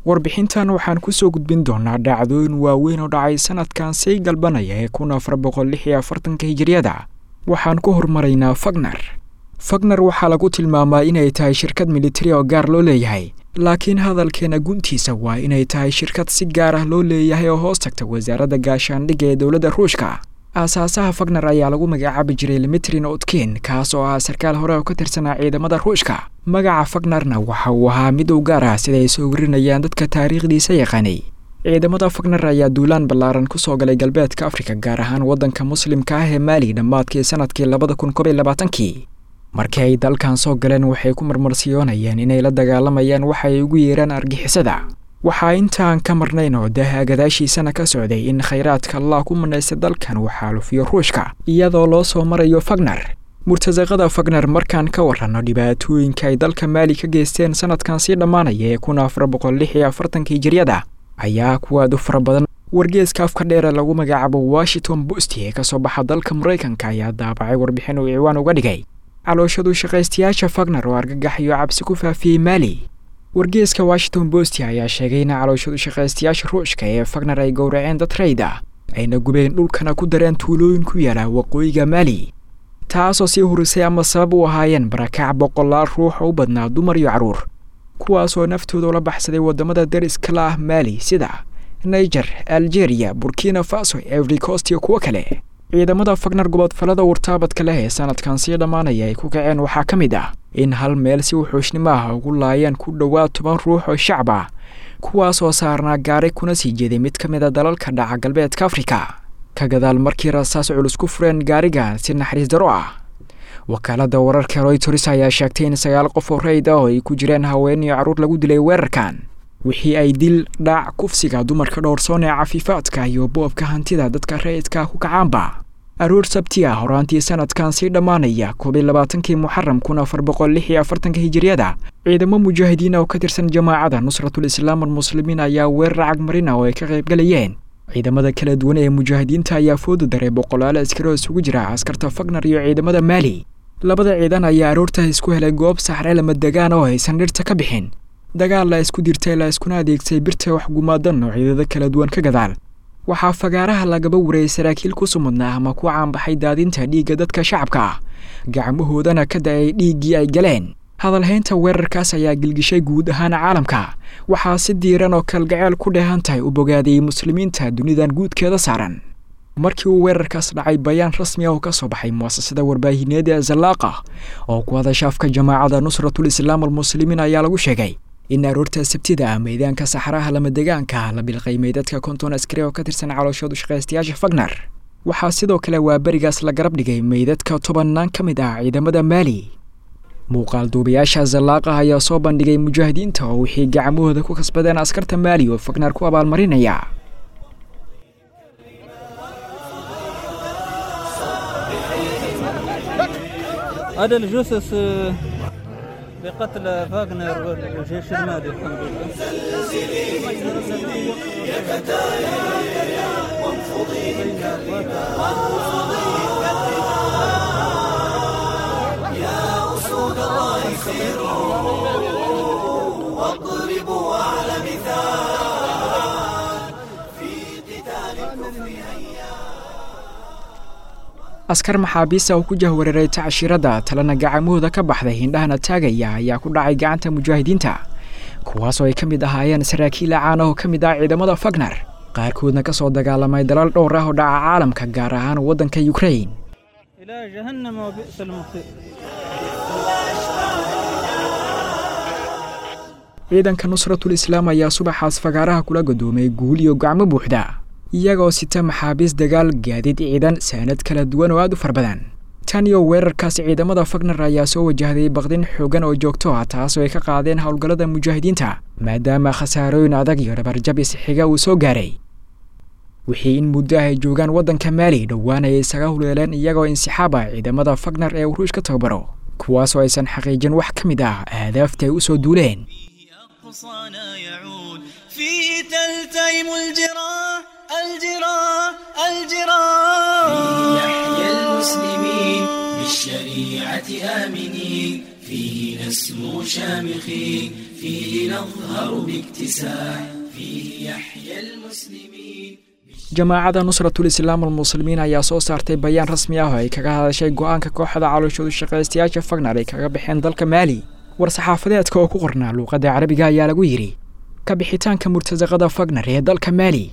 Warbixintan waxaan kusoo gudbin doonaa dhacdooyin waaweyn oo dhacay sanadkan sii galbanaya ee 1446-ka hijiriyada. Waxaan ku hormaraynaa Fagner. Fagner waxaa lagu tilmaamaa inay tahay shirkad militari oo gaar loo leeyahay, laakiin hadalkeena guntiisa waa inay tahay shirkad si gaar ah loo leeyahay oo hoos tagta wasaaradda gaashaandhigga ee dowladda Ruushka. Aasaasaha Fagner ayaa lagu magacaabi jiray Dmitri Utkin, kaas oo ahaa sarkaal hore oo ka tirsanaa ciidamada Ruushka. Magaca Fagnerna waxa uu ahaa mid u gaar ah, sida ay soo warinayaan dadka taariikhdiisa yaqaanay. Ciidamada Fagner ayaa duulaan ballaaran kusoo galay galbeedka Afrika, gaar ahaan waddanka muslimka ah ee Maali, dhammaadkii sanadkii 2021-kii. Markii ay dalkan soo galeen, waxay ku marmarsiyoonayeen inay la dagaalamayaan waxa ay ugu yeeraan argixisada. Waxaa intaan ka marnayn oo daaha gadaashiisana ka socday in khayraadka Allah ku manaystay dalkan uu xaalufiyo Ruushka, iyadoo loo soo marayo Fagner. Murtasaqada Fagner markaan ka waranno dhibaatooyinka ay dalka Maali ka geysteen sanadkan sii dhammaanaya ee 1446-ka hijiriyada ayaa kuwaad u fara badan. Wargeeska afka dheere lagu magacaabo Washington Post ee kasoo baxa dalka Maraykanka ayaa daabacay warbixin uu ciwaan uga dhigay calooshadu shaqaystayaasha Fagner oo argagax iyo cabsi ku faafiyey Maali. Wargeeska Washington Post ayaa sheegay in calooshadu shaqaystayaasha Ruushka ee Fagner ay gowraceen dad rayd ah, ayna gubeen dhulkana ku dareen tuulooyin ku yaala waqooyiga Maali, taasoo sii hurisay ama sabab u ahaayeen barakac boqolaal ruux oo u badnaa dumar iyo carruur, kuwaasoo naftooda ula baxsaday waddamada dariska la ah Maali sida Niger, Algeria, Burkina Faso, Ivory Coast iyo kuwo kale. Ciidamada Fagner gobodfalada wartaabadka leh ee sanadkan sii dhammaanaya ay ku kaceen waxaa ka mid ah in hal meel si wuxuushnimo ah ugu laayeen ku dhowaad 10 ruux oo shacab ah, kuwaasoo saarnaa gaari kuna sii jeeday mid ka mid a dalalka dhaca galbeedka Afrika, ka gadaal markii rasaas culus ku fureen gaarigan si naxariis daro ah. Wakaaladda wararka Royters ayaa sheegtay in 9 qof oo rayid ah oo ay ku jireen haween iyo carruur lagu dilay weerarkan. Wixii ay dil, dhac, kufsiga dumarka dhowrsoon ee cafiifaadka iyo boobka hantida dadka rayidka ku kacaanba. Aroor Sabti ah horaantii sanadkan sii dhammaanaya, 21-kii Muxaram 1446-ka hijiriyada, ciidamo mujaahidiin oo ka tirsan jamaacada Nusratul Islaam almuslimiin ayaa weerar cagmarina oo ay ka qaybgalayeen ciidamada kala duwan ee mujaahidiinta ayaa fooda daray boqolaal askari oo isugu jira askarta Fagner iyo ciidamada Maali. Labada ciidan ayaa aroorta isku helay goob saxre lama degaan oo aysan dhirta ka bixin. Dagaal la isku dirtay la iskuna adeegsay birta wax gumaadan noocyadada kala duwan ka gadaal, waxaa fagaaraha lagaba warayay saraakiil ku sumadnaa ama ku caanbaxay daadinta dhiigga dadka shacabka ah, gacmahoodana ka da-ay dhiiggii ay galeen. Hadalhaynta weerarkaas ayaa gilgishay guud ahaan caalamka. Waxaa si diiran oo kalgaceel ku dheehan tahay u bogaadiyey muslimiinta dunidan guudkeeda saaran. Markii uu weerarkaas dhacay, bayaan rasmi ah oo ka soo baxay muasasada warbaahineed ee Zalaaqa oo ku hadasha afka jamaacada Nusratul Islaam almuslimiin ayaa lagu sheegay in aroorta Sabtida ah meydaanka saxaraha lamadegaanka la bilqaymay dadka 50 askari oo ka tirsan calooshoodu shaqaystayaasha Fagner. Waxaa sidoo kale waa berigaas la garab dhigay meydadka tobannaan ka mid ah ciidamada Maali. Muuqaal duubayaasha Zalaaqa ayaa soo bandhigay mujaahidiinta oo wixii gacmahooda ku kasbadeen askarta Maali oo Fagner ku abaalmarinaya. هذا الجثث بقتل فاغنر والجيش المالي، الحمد لله. يا أسود الله سيروا واضربوا أعلى مثال في قتال الكفر هيا. Askar maxaabiista oo ku jahwareeray tacshiirada talena gacamahooda ka baxday, hindhahana taagaya ayaa ku dhacay gacanta mujaahidiinta, kuwaasoo ay ka mid ahaayeen saraakiil caan ah oo ka mid ah ciidamada Fagner, qaarkoodna ka soo dagaalamay dalal dhowr ah oo dhaca caalamka, gaar ahaan waddanka Ukraine. إلى جهنم وبئس المصير. Ciidanka Nusratul Islaam ayaa subaxaas fagaaraha kula gadoomay guul iyo gacmo buuxda, iyagoo sita maxaabiis dagaal, gaadiid ciidan, saanad kala duwan oo aad u fara badan. Tan iyo weerarkaas ciidamada Fagner ayaa soo wajahday baqdin xoogan oo joogto ah, taasoo ay ka qaadeen howlgallada mujaahidiinta, maadaama khasaarooyin adag iyo dhabarjab isxiga uu soo gaaray. Wixii in muddo ah ay joogaan waddanka Maali, dhowaan ay isaga huleeleen iyagoo insixaab ah ciidamada Fagner ee uu Ruush ka tababaro, kuwaasoo aysan xaqiijin wax ka mid ah ahdaafta ay u soo duuleen. فيه أقصانا يعود، فيه تلتئم الجراح الجراح الجراح، فيه نحيا المسلمين بالشريعة آمنين، فيه نسمو شامخين. فيه نظهر باكتساح، فيه يحيا المسلمين. Jamaacada Nusratul Islaam Almuslimiin ayaa soo saartay bayaan rasmi ah oo ay kaga hadashay go'aanka kooxda calooshoodu shaqaystayaasha Fagnar ay kaga baxeen dalka Maali. War-saxaafadeedka oo ku qornaa luuqadda Carabiga ayaa lagu yidhi: ka bixitaanka murtasaqada Fagnar ee dalka Maali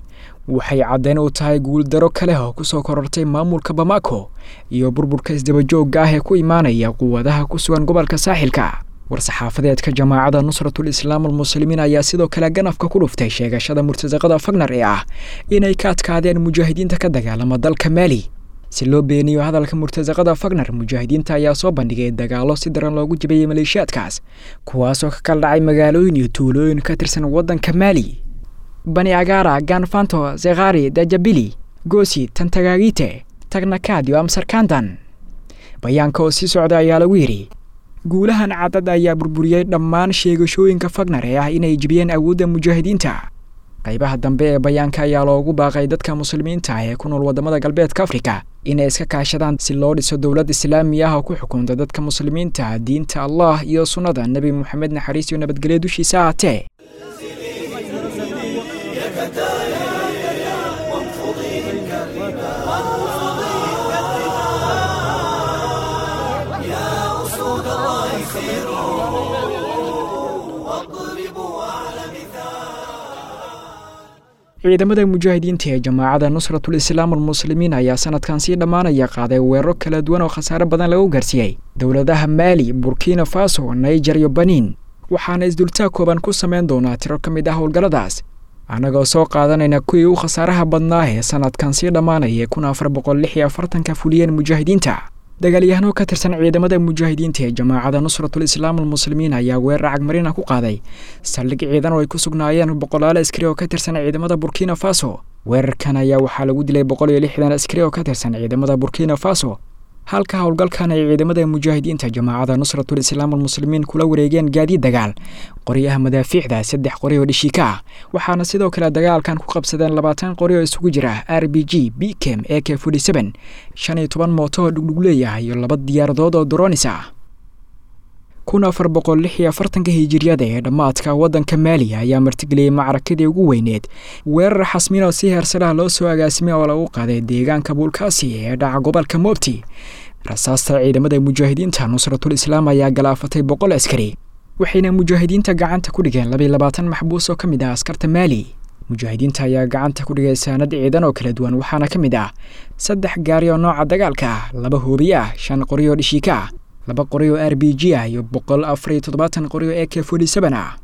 waxay caddeyn u tahay guuldaro kale oo kusoo korortay maamulka Bamako iyo burburka isdabajoogga ah ee ku imaanaya quwadaha ku sugan gobolka Saaxilka. War-saxaafadeedka jamaacada Nusratul Islaam Almuslimiin ayaa sidoo kale ganafka ku dhuftay sheegashada murtasaqada Fagnar ee ah inay ka adkaadeen mujaahidiinta ka dagaalama dalka Maali. Si loo beeniyo hadalka murtasaqada Fagnar, mujaahidiinta ayaa soo bandhigay dagaallo si daran loogu jabiyey maleeshiyaadkaas, kuwaasoo ka kala dhacay magaalooyin iyo tuulooyin ka tirsan waddanka Maali: Bani Agara, Ganfanto, Zekhari, Dajabili, Gosi, Tantagagite, Tagnakad iyo Amsarkandan. Bayaanka oo sii socda ayaa lagu yidhi: guulahan cadad ayaa burburiyey dhammaan sheegashooyinka Fagnar ee ah inay jebiyeen awoodda mujaahidiinta. Qaybaha dambe ee bayaanka ayaa loogu baaqay dadka muslimiinta ah ee ku nool waddamada Galbeedka Afrika inay iska kaashadaan si loo dhiso dowlad islaami ah oo ku xukunta dadka muslimiinta diinta Allah iyo sunnada Nebi Moxamed, naxariis iyo nabadgelyo dushiisa ahaatee. يا أسود الله سيروا واضربوا أعلى مثال. Ciidamada mujaahidiinta ee jamaacada Nusratul Islaam Almuslimiin ayaa sanadkan sii dhammaanaya qaaday weeraro kala duwan oo khasaare badan lagu gaarsiiyey dowladaha Maali, Burkina Faso, Niger iyo Baniin. Waxaana isdultaag kooban ku samayn doonaa tiro ka mid ah howlgalladaas, annagoo soo qaadanayna kuwii u khasaaraha badnaa ee sanadkan sii dhammaanaya 1446-ka fuliyeen mujaahidiinta. Dagaalyahano ka tirsan ciidamada mujaahidiinta ee jamaacada Nusratul Islaam Almuslimiin ayaa weerar cagmarina ku qaaday saldhig ciidan oo ay ku sugnaayeen boqolaal askari oo ka tirsan ciidamada Burkina Faso. Weerarkan ayaa waxaa lagu dilay 160 askari oo ka tirsan ciidamada Burkina Faso, halka howlgalkan ay ciidamada mujaahidiinta jamaacada Nusratul Islaam Almuslimiin kula wareegeen gaadiid dagaal, qoryaha madaafiicda, 3 qori oo dhishiika ah. Waxaana sidoo kale dagaalkan ku qabsadeen 20 qori oo isugu jira RPG, BKM, AK, 15 mooto oo dhugdhug leeyahay iyo 2 diyaaradood oo dronis ah. 1446-ka hijiriyada ee dhammaadka, waddanka Maali ayaa martigeliyey macrakadii ugu weyneed, weerar xasmin oo si heersaraha loo soo agaasimay oo lagu qaaday deegaanka Buulkaasi ee dhaca gobolka Moobti. Rasaasta ciidamada mujaahidiinta Nusratul Islaam ayaa galaafatay 100 askari, waxayna mujaahidiinta gacanta ku dhigeen 22 maxbuus oo ka mid ah askarta Maali. Mujaahidiinta ayaa gacanta ku dhigay saanad ciidan oo kala duwan, waxaana ka mid ah 3 gaari oo nooca dagaalka ah, 2 hoobiye ah, 5 qori oo dhishiika ah, 2 qori oo RPG ah iyo 174 qori oo AK ah.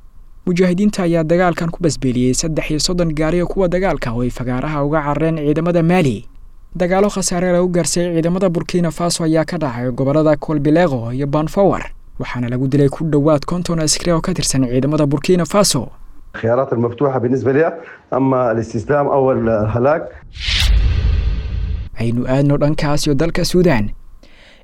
Mujaahidiinta ayaa dagaalkan ku basbeeliyey 33 gaari oo kuwa dagaalka oo ay fagaaraha uga carareen ciidamada Maali. Dagaalo khasaare lagu gaarsiiyey ciidamada Burkina Faso ayaa ka dhacay gobolada Kolbilego iyo Banfawar, waxaana lagu dilay ku dhowaad 50 askari oo ka tirsan ciidamada Burkina Faso. الخيارات المفتوحة بالنسبة لها أما الاستسلام أو الهلاك. Aynu aadno dhankaas iyo dalka Suudaan.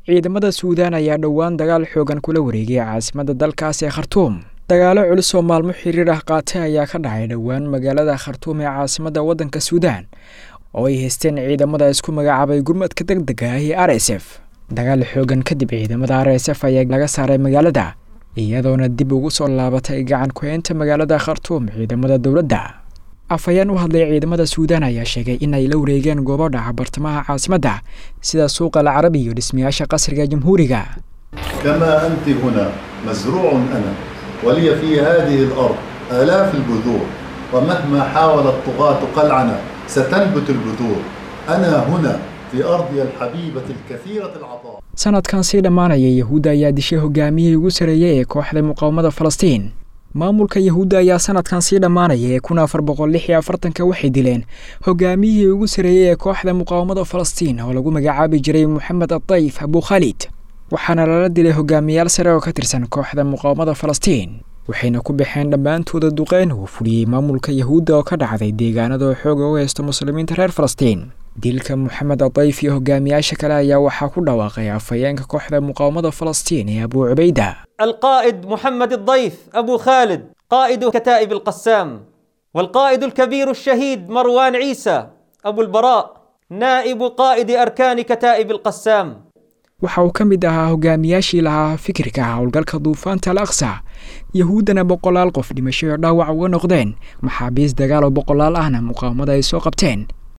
Ciidamada Suudaan ayaa dhowaan dagaal xoogan kula wareegay caasimadda dalkaas ee Khartuum. Dagaalo culus oo maalmo xiriir ah qaatay ayaa ka dhacay dhowaan magaalada Khartuum ee caasimadda waddanka Suudaan oo ay haysteen ciidamada isku magacaabay gurmadka deg dega ah ee RSF. Dagaal xoogan kadib, ciidamada RSF ayaa laga saaray magaalada, iyadoona dib ugu soo laabatay gacan ku-haynta magaalada Khartuum ciidamada dowladda. Afhayeen u hadlay ciidamada Suudaan ayaa sheegay in ay la wareegeen goobo dhaca bartamaha caasimadda, sida suuqa Alcarabi iyo dhismayaasha qasriga jamhuuriga. كما أنت هنا مزروع أنا، ولي في هذه الأرض آلاف البذور، ومهما حاول الطغاة قلعنا ستنبت البذور. أنا هنا في أرضي الحبيبة الكثيرة العطاء. Sanadkan sii dhammaanaya, Yahuudda ayaa dishay hogaamiyihii ugu sareeyey ee kooxda muqaawamada Falastiin. Maamulka Yahuudda ayaa sanadkan sii dhammaanaya ee 1446-ka waxay dileen hogaamiyihii ugu sareeyey ee kooxda muqaawamada Falastiin oo lagu magacaabi jiray Moxamed Adayf Abu Khalid, waxaana lala dilay hogaamiyaal sare oo ka tirsan kooxda muqaawamada Falastiin, waxayna ku baxeen dhammaantooda duqeyn uu fuliyey maamulka Yahuudda oo ka dhacday deegaanada oo xooga u haysto muslimiinta reer Falastiin. Dilka Moxamed Adayf iyo hogaamiyaasha kale ayaa waxaa ku dhawaaqay afhayeenka kooxda muqaawamada Falastiin ee Abu Cubayda. القائد محمد الضيف أبو خالد، قائد كتائب القسام، والقائد الكبير الشهيد مروان عيسى أبو البراء، نائب قائد أركان كتائب القسام. Waxa uu ka mid ahaa hogaamiyaashii lahaa fikirka howlgalka duufaanta Al Aqsa, Yahuuddana boqolaal qof dhimasho iyo dhaawac uga noqdeen, maxaabiis dagaal oo boqolaal ahna muqaawamada ay soo qabteen.